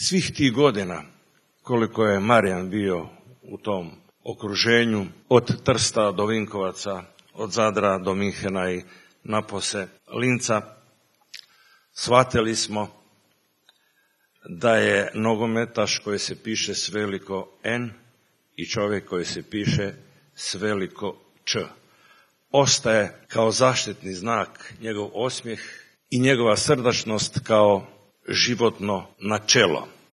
svih tih godina koliko je Marijan bio u tom okruženju, od Trsta do Vinkovaca, od Zadra do Minhena i napose Linca, shvatili smo da je nogometaš koji se piše s veliko N i čovjek koji se piše s veliko Č. Ostaje kao zaštitni znak njegov osmijeh i njegova srdačnost kao životno načelo.